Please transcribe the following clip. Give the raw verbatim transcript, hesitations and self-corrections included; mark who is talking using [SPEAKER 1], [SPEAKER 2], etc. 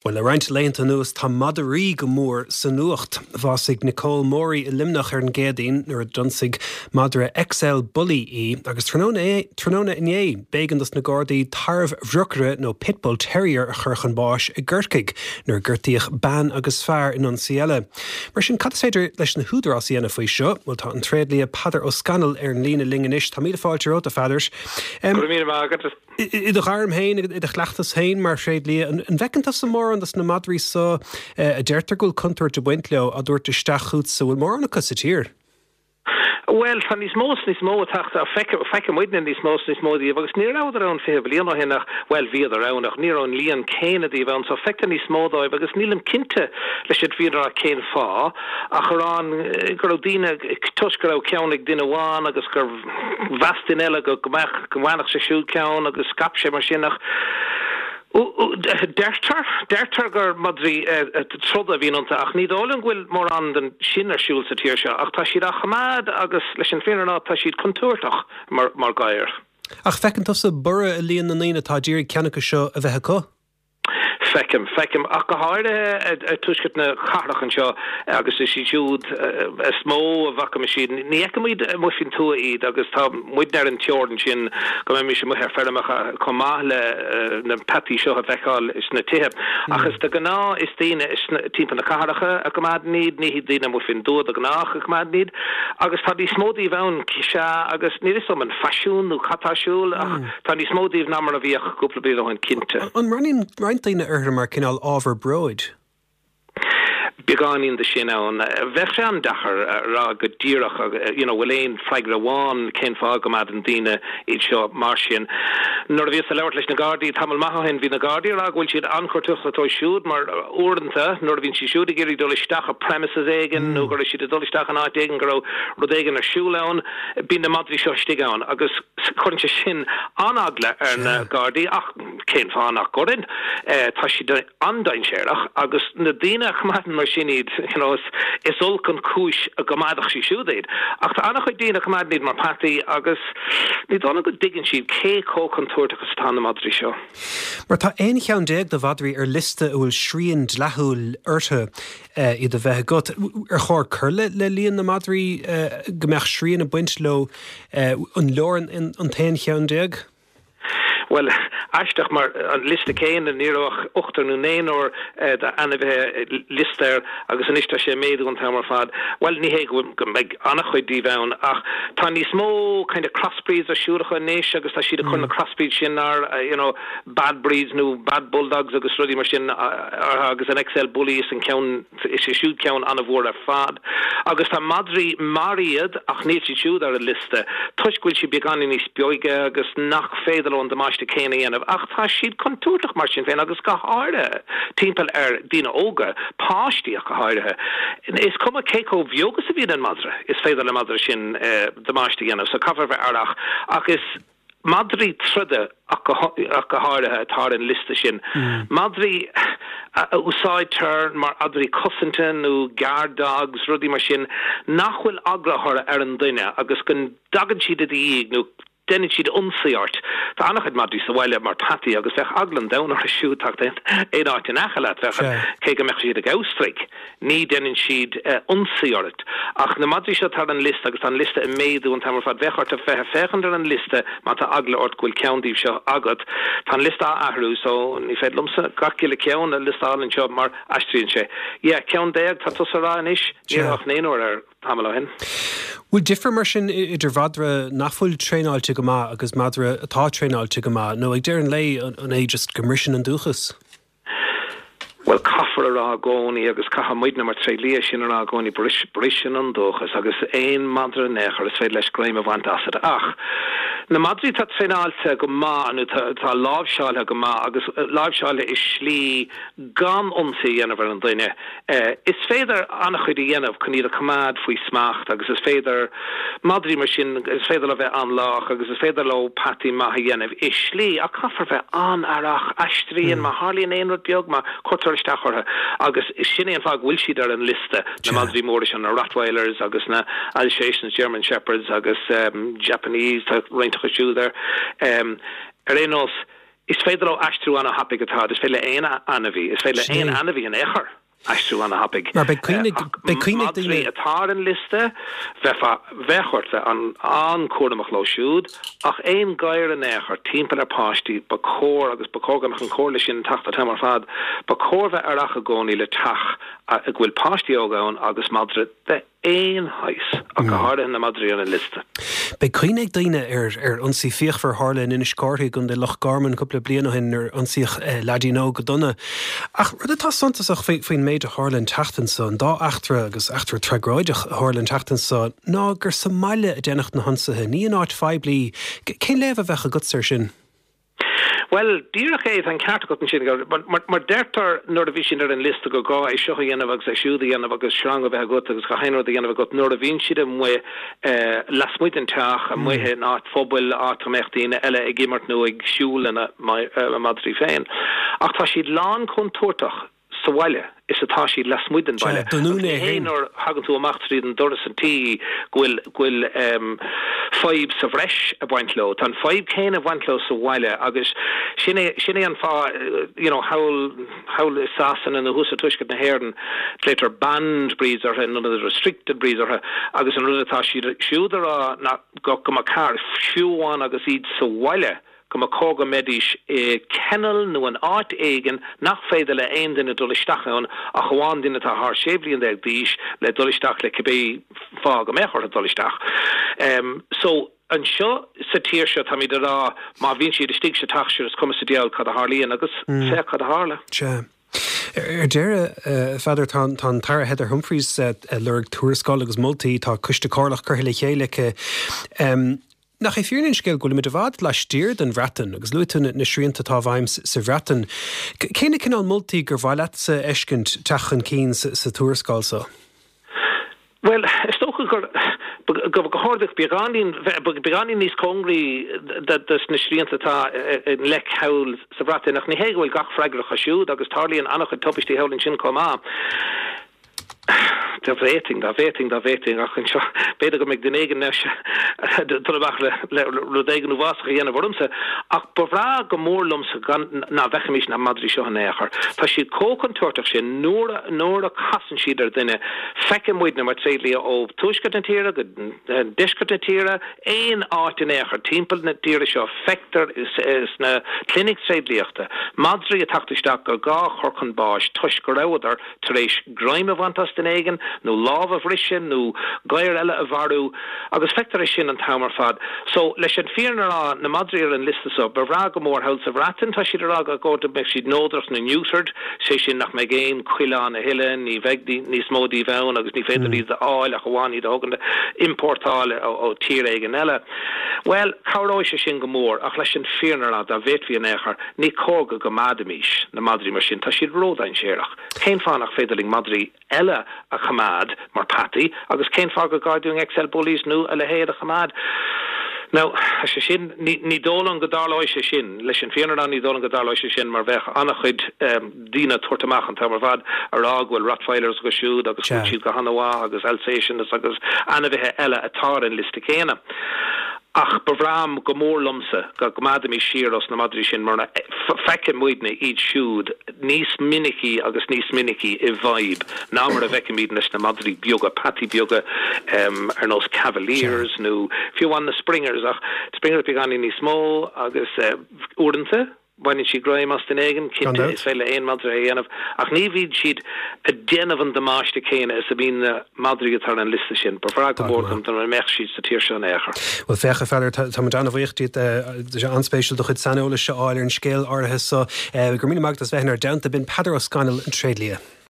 [SPEAKER 1] Well le roinnt laethanta anuas tá madraí go mór sa nuacht. Bhásaigh Nicole Morey i Luimneach ar an gCéadaoin nuair a d'ionsaigh madra XL Bully í agus tráthnóna inné b'éigean dos na Gardaí tarbhbhrocaire nó Pitbull Terrier a chur chun báis i gCorcaigh nuair a gortaíodh bean agus fear in ionsaí eile. Mar sin cad is féidir leis na húdaráis a dhéanamh faoi seo, Well tá an tréidlia Peadar Ó Scanaill ar an líne linn anois tá míle fáilte romhat a Pheadair. I do ghairm féin i do chleachtas féin mar thréidlia an bhfeiceann tusa mórán dos na madraí seo a deirtear go bhfuil contúirt ag baint leo á dtabhairt isteach chugat an bhfuil mórán acu sa tír.
[SPEAKER 2] Well tá níos mó níos mó teacht feiceann muidne níos mó níos mó díobh agus ní rabhadar ann fiche bliain ó shin ach well bhíodar ann ach ní raibh an líon céanna díobh ann so feictear níos mó díobh agus nílim cinnte leis an bhfírinne cén fáth ach ar an go raibh daoine toisc go raibh ceann ag duine amháin agus gur mheas duine eile go go mbeadh go bhfanfadh sé siúd ceann agus scaip sé mar sin ach Deirtear deirtear gur madraí troda a bhíonn iontu ach ní dóigh liom go bhfuil mórán den sin ar siúl sa tír seo ach tá siad á choimeád agus leis an bhfírinne tá siad contúirteach mar mar ghadhair.
[SPEAKER 1] Ach feiceann tusa borradh i líon na ndaoine atá ag iarraidh ceann acu seo a bheith acu?
[SPEAKER 2] Feicim feicim ach go háirithe tuaisceart na cathrach anseo agus is iad siúd is mó a bhfaca siad ní fheicimid amuigh faoin tuath iad agus tá muid ar an teorainn sin go mbeimis amuigh ar feirmeacha chomh maith le na peataí seo a fheiceáil sna tithe. Ach is de ghnáth is daoine timpeall na cathracha a choimeádann iad ní daoine amuigh faoin tuath de ghnáth a choimeádann iad agus tá níos mó díobh ann sea agus ní is um an faisiún nó cad tá ar siúl ach tá níos mó díobh ná mar a bhíodh cúpla bliain ó shin cinnte.
[SPEAKER 1] An mbreathnaíonn roinnt daoine orthu mar cineál ábhar bróid.
[SPEAKER 2] Beagáinín de sin ann bheadh sé an-deacair rá go díreach you know, bhfuil aon freagra amháin cén fáth go gcoimeádann daoine iad seo mar sin. Nuair a bhíos ag labhairt leis na Gardaí tamall maith ó shin bhí na Gardaí rá go bhfuil siad an-chontúirteach siúd mar uaireanta nuair a bhíonn siad siúd ag iarraidh dul isteach i premises éigin nó go raibh siad ag dul isteach in áit éigin go raibh rud éigin ar siúl ann, bíonn na madraí seo istigh ann agus cuireann sé sin an-eagla ar na Gardaí ach cén fáth nach gcuireann tá siad an-dainséarach agus na daoine a choimeádann mar sin iad you know, is, is olc an chúis a gcoimeádfadh siad siúd iad. Ach tá an-chuid daoine a choimeádann iad mar peataí agus ní dóigh go dtuigeann siad cé chomh contúirteach is atá na madraí seo.
[SPEAKER 1] Mar tá aon cheann déag de mhadraí ar liosta a bhfuil srian dlíthiúil orthu iad a bheith agat. Ar chóir cur le le líon na madraí go mbeadh srian ag baint leo an leor an t-aon cheann déag?
[SPEAKER 2] Well aisteach mar an liosta céanna ní raibh ach ochtar nó naonúr d'ainmhithe liosta air agus anois tá sé méadú an t-am ar fad. Well ní hé go mbeidh an-chuid díobh ann ach tá níos mó kind of crossbreeds ar siúl anois agus tá siad ag cur na crossbreeds sin ar you know, bad breeds nó bad bulldogs agus rudaí mar sin agus an XL Bully is an ceann is é siúd ceann an-mhór ar fad. Agus tá madraí mar iad ach níl siad siúd ar an liosta toisc go bhfuil siad beagáinín níos beige agus nach féidir leo an damáiste céanna a dhéanamh ach tá siad contúirteach mar sin féin agus go háirithe timpeall ar daoine óga, páistí ach go háirithe. Is cuma cé chomh beag is a bhíonn an madra, is féidir le madra sin eh, damáiste a dhéanamh, so caithfear bheith aireach ach is madraí troda ach go háirithe atá ar an liosta sin. Mm. Madraí a úsáidtear mar mhadraí cosanta nó guard dogs rudaí mar sin nach bhfuil eagla ar an duine agus go dtagann siad i do dhiaidh nó déanann siad ionsaí ort. Tá an-chuid madraí sa bhaile mar peataí agus bheadh eagla an domhain orthu siúd teacht aon áit in aice leat bheadh cé go mbeadh siad ag amhantraigh. Ní déanann siad uh, ionsaí ort. Ach na madraí seo ar an liosta agus an liosta ag méadú an t-am ar fad bheadh ort a bheith féachaint ar an liosta má tá eagla ort go bhfuil ceann díobh seo agat. Tá an liosta á athrú so ní féidir liomsa gach uile ceann a liostáil anseo mar athraíonn sé. Yeah, ceann déag tá tusa rá anois ní ach naonúr ar tamall ó shin.
[SPEAKER 1] Bhfuil difear mar sin idir mhadra nach bhfuil traenáilte go maith agus madra atá traenáilte go maith, nó ag deireadh an lae an é just go mbriseann an dúchas.
[SPEAKER 2] Well caithfear a rá i gcónaí agus caithfidh muidne mar tréidlia sin a rá i gcónaí briseann an dúchas agus aon madra nechar is féidir leis greim a bhaint asat ach na madraí atá traenáilte go maith nó tá láimhseáilte go maith agus láimhseáilte i slí gan ionsaí a dhéanamh ar an duine. Is féidir an-chuid a dhéanamh chun iad a choimeád faoi smacht agus is féidir madraí mar sin is féidir le bheith an-lách agus is féidir leo peataí maith a dhéanamh i slí ach caithfear bheith an-aireach aistríonn má tharlaíonn aon rud beag má chuirtear isteach orthu agus sin é an fáth go bhfuil siad ar an liosta na madraí móra sin na Rottweilers agus na Alsatians, German Shepherds agus um, Japanese tá roinnt acu siúd air. Um, ar aon nós Is féidir leo aistriú an-thapaidh atá, is féidir le aon ainmhí, is féidir le aon ainmhí in aon chor aistriú an-thapaidh.
[SPEAKER 1] Mar beidh cuimhne beidh cuimhne ag daoine.
[SPEAKER 2] Madraí atá ar an liosta, bheifeá, bheadh ort bheith an-chúramach leo siúd, ach aon ghadhar in aon chor timpeall ar pháistí, ba chóir, agus ba chóir go mbeadh an chomhairle sin ag teacht an t-am ar fad, ba chóir bheith aireach i gcónaí le teach a bhfuil páistí óga ann agus madra de aon shaghas, ach go háirithe na madraí ar an liosta.
[SPEAKER 1] Beidh cuimhne ag daoine ar ar ionsaí fíochmhar a tharla in Inis Córthaidh i gContae Loch Garman cúpla bliain ó shin nuair a ionsaíodh leaidín óg go dona. Ach rud atá suntasach faoin méid a tharla an tseachtain seo, an dá eachtra agus eachtra tragóideach a tharla an tseachtain seo, ná gur sa mbaile a déanadh na hionsaithe, ní in áit phoiblí. Cén léamh a bheadh agatsa air sin?
[SPEAKER 2] Bhuel, díreach é, tá an ceart agat ansin, mar, mar deirtear nuair a bhí siad ar an liosta gur gá é seo a dhéanamh agus é siúd a dhéanamh agus sreang a bheith agat agus gach aon rud a dhéanamh agat nuair a bhíonn siad amuigh lasmuigh den teach, amuigh in áit phobail, áit a mbeadh daoine eile ag imirt nó ag siúl lena madraí féin. Ach tá siad lán contúirteach sa bhaile is atá siad lasmuigh den bhaile.
[SPEAKER 1] Sea, don
[SPEAKER 2] Agus ní
[SPEAKER 1] úinéir
[SPEAKER 2] hé
[SPEAKER 1] féin.
[SPEAKER 2] nuair a thagann tú amach tríd an doras an tí go bhfuil, go bhfuil fadhb sa bhreis ag baint leo. Tá an fadhb céanna ag baint leo sa bhaile agus sin é, sin é an fáth, you know, thall, thall i Sasana nó thuas i dtuaisceart na hÉireann, glaotar banned breeds orthu in ionad restricted breeds orthu agus an rud atá siad siúd a rá ná go, go mba ceart, fiú amháin agus iad sa bhaile, go mba chóir go mbeidís i kennel nó in áit éigin nach féidir le aon duine dul isteach ann ach amháin duine atá thar sé bhliain déag d'aois le dul isteach le cibé fáth go mbeadh orthu dul isteach. So, anseo sa tír seo táimid ag rá má bhíonn siad istigh sa teach sure is cuma sa diabhal cad a tharlaíonn agus féach cad a tharla.
[SPEAKER 1] Sea. Ar deireadh, a Pheadair, tá an tAire Heather Humphreys ag lorg tuarascáil agus moltaí, tá coiste comhairleach curtha le chéile aici. Nach é fírinne an scéil go bhfuilimid i bhfad laistiar den Bhreatain agus luaigh tú na srianta atá i bhfeidhm sa Bhreatain. Cé na cineál moltaí gur mhaith leatsa a fheiscint teacht chun cinn sa tuarascáil seo?
[SPEAKER 2] Bhuel, is dócha gur, go háirithe, beagáinín, beagáinín níos cóngaraí dos na srianta atá i ngleic thall sa Bhreatain, ach ní hé go bhfuil gach freagrach as siúd agus tarlaíonn an-chuid tubaistí thall ansin chomh maith. Dá bhféadfainn, dá bhféadfainn, dá bhféadfainn, ach anseo, b'fhéidir go mbeidh duine éigin anois ag dul amach le, le rud éigin uafásach a dhéanamh ormsa, ach ba bhreá go mór liomsa gan, ná bhfeicfimis na madraí seo in aon chor. Tá siad chomh contúirteach sin, nuair a, nuair a casann siad ar dhuine, feiceann muidne mar tréidlia ó tuaisceart na tíre go deisceart na tíre, aon áit in aon chor timpeall na tíre seo, feictear sna clinic tréidliachta madraí ag teacht isteach gur gá a chur chun báis toisc go rabhadar tar éis greim a bhaint as duine éigin, nó lámh a bhriseadh, nó gadhar eile a mharú, agus feictear é sin an t-am ar fad. So, leis an fírinne a rá, na madraí ar an liosta so, ba bhreá go mór thall sa Bhreatain, tá siad ag rá go go mbeadh siad neodrach nó neutered, sé sin nach mbeidh aon coileán a thuilleadh, ní bheidh níos mó díobh ann agus ní féidir iad a fháil ach amháin iad a thógaint, iompórtáil ó tír éigin eile. Bhuel, cabhróidh sé sin go mór, ach leis an fírinne a rá, dá bhféadfaí in aon chor, ní cóir go gcoimeádfaimis na madraí mar sin, tá siad ródhainséarach. Cén fáth nach féidir linn madraí eile a choimeád mar peataí agus cén fáth gur gá dúinn XL Bullies nó a leithéid a choimeád? Now, tá sé sin, ní, ní dóigh liom go dtarlóidh sé sin, leis an fírinne a rá ní dóigh liom go dtarlóidh sé sin mar bheadh an-chuid daoine ag tabhairt amach an t-am ar fad a rá go bhfuil Rottweilers acu siúd agus go bhfuil siad go han-mhaith agus Alsatians agus ainmhithe eile atá ar an liosta céanna. Ach ba bhreá go mór liomsa go gcoimeádfaimis siar os na madraí sin mar feiceann muidne iad siúd níos minicí agus níos minicí i bhfadhb ná mar a bhfeicimid leis na madraí beaga, peataí beaga ar nós Cavaliers nó fiú amháin na Springers ach Springers beagáinín níos mó agus uaireanta Baineann siad greim as duine éigin, cinnte, is féidir le aon mhadra é a dhéanamh, ach ní bhíonn siad ag déanamh an damáiste céanna is a bhíonn na madraí atá ar an liosta sin. Ba bhreá go mór liom dá mbeadh siad sa tír seo in aon chor.
[SPEAKER 1] Bhuel, féach, a Pheadair, tá muid an-bhuíoch díot. Tá sé an-spéisiúil do chuid saineolais a fháil ar an scéal áirithe so. Go raibh míle maith agat as bheith inár dteannta. B'in Peadar Ó Scanaill, an tréidlia.